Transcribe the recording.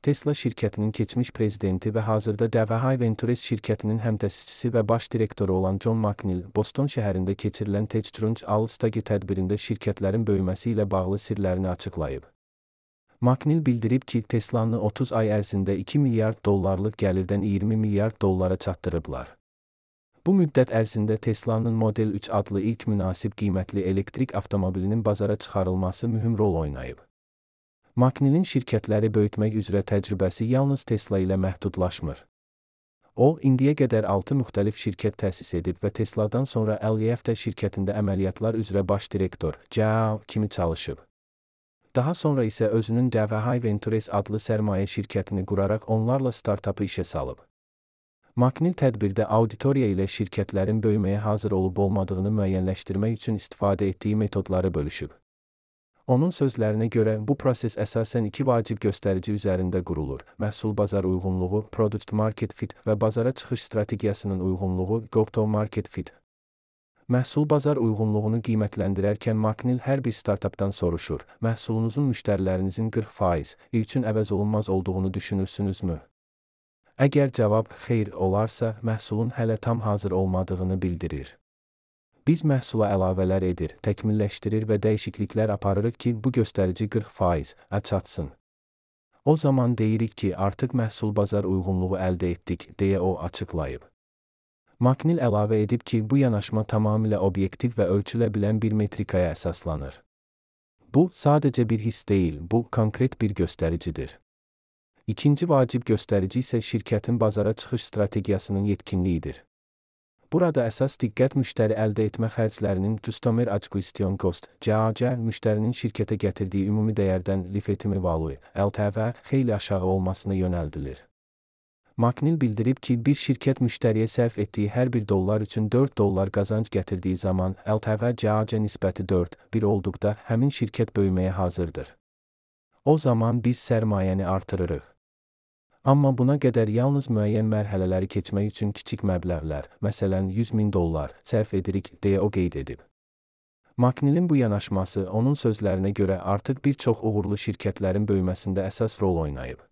Tesla şirkətinin keçmiş prezidenti və hazırda DeVahay Ventures şirkətinin həmtəsisçisi və baş direktoru olan John McNeil, Boston şəhərində keçirilən TechCrunch All-Star tədbirində şirkətlərin böyüməsi ilə bağlı sirlərini açıqlayıb. McNeil bildirib ki, Teslanı 30 ay ərzində 2 milyard dollarlıq gəlirdən 20 milyard dollara çatdırıblar. Bu müddət ərzində Teslanın Model 3 adlı ilk münasib qiymətli elektrik avtomobilinin bazara çıxarılması mühüm rol oynayıb. McNeil'in şirkətləri böyütmək üzrə təcrübəsi yalnız Tesla ilə məhdudlaşmır. O, indiyə qədər 6 müxtəlif şirkət təsis edib və Tesladan sonra LEFT şirkətində əməliyyatlar üzrə baş direktor kimi çalışıb. Daha sonra isə özünün DeVahay Ventures adlı sərmayə şirkətini quraraq onlarla startapı işə salıb. McNeil tədbirdə auditoriya ilə şirkətlərin böyüməyə hazır olub-olmadığını müəyyənləşdirmək üçün istifadə etdiyi metodları bölüşüb. Onun sözlərinə görə, bu proses əsasən iki vacib göstərici üzərində qurulur: məhsul-bazar uyğunluğu, product market fit və bazara çıxış strategiyasının uyğunluğu, go-to-market fit. Məhsul-bazar uyğunluğunu qiymətləndirərkən McNeil hər bir startapdan soruşur: məhsulunuzun müştərilərinizin 40% üçün əvəz olunmaz olduğunu düşünürsünüzmü? Əgər cavab xeyr olarsa, məhsulun hələ tam hazır olmadığını bildirir. Biz məhsula əlavələr edir, təkmilləşdirir və dəyişikliklər aparırıq ki, bu göstərici 40%-ə çatsın. O zaman deyirik ki, artıq məhsul-bazar uyğunluğu əldə etdik, deyə o açıqlayıb. McNeil əlavə edib ki, bu yanaşma tamamilə obyektiv və ölçülə bilən bir metrikaya əsaslanır. Bu, sadəcə bir hiss deyil, bu, konkret bir göstəricidir. İkinci vacib göstərici isə şirkətin bazara çıxış strategiyasının yetkinliyidir. Burada əsas diqqət müştəri əldə etmə xərclərinin Customer Acquisition Cost, CAC, müştərinin şirkətə gətirdiyi ümumi dəyərdən Lifetime Value, LTV, xeyli aşağı olmasına yönəldilir. McNeil bildirib ki, bir şirkət müştəriyə sərf etdiyi hər bir dollar üçün 4 dollar qazanc gətirdiyi zaman LTV-CAC nisbəti 4:1 olduqda həmin şirkət böyüməyə hazırdır. O zaman biz sərmayəni artırırıq. Amma buna qədər yalnız müəyyən mərhələləri keçmək üçün kiçik məbləğlər, məsələn $100,000 sərf edirik, deyə o qeyd edib. McNeil'in bu yanaşması onun sözlərinə görə artıq bir çox uğurlu şirkətlərin böyüməsində əsas rol oynayıb.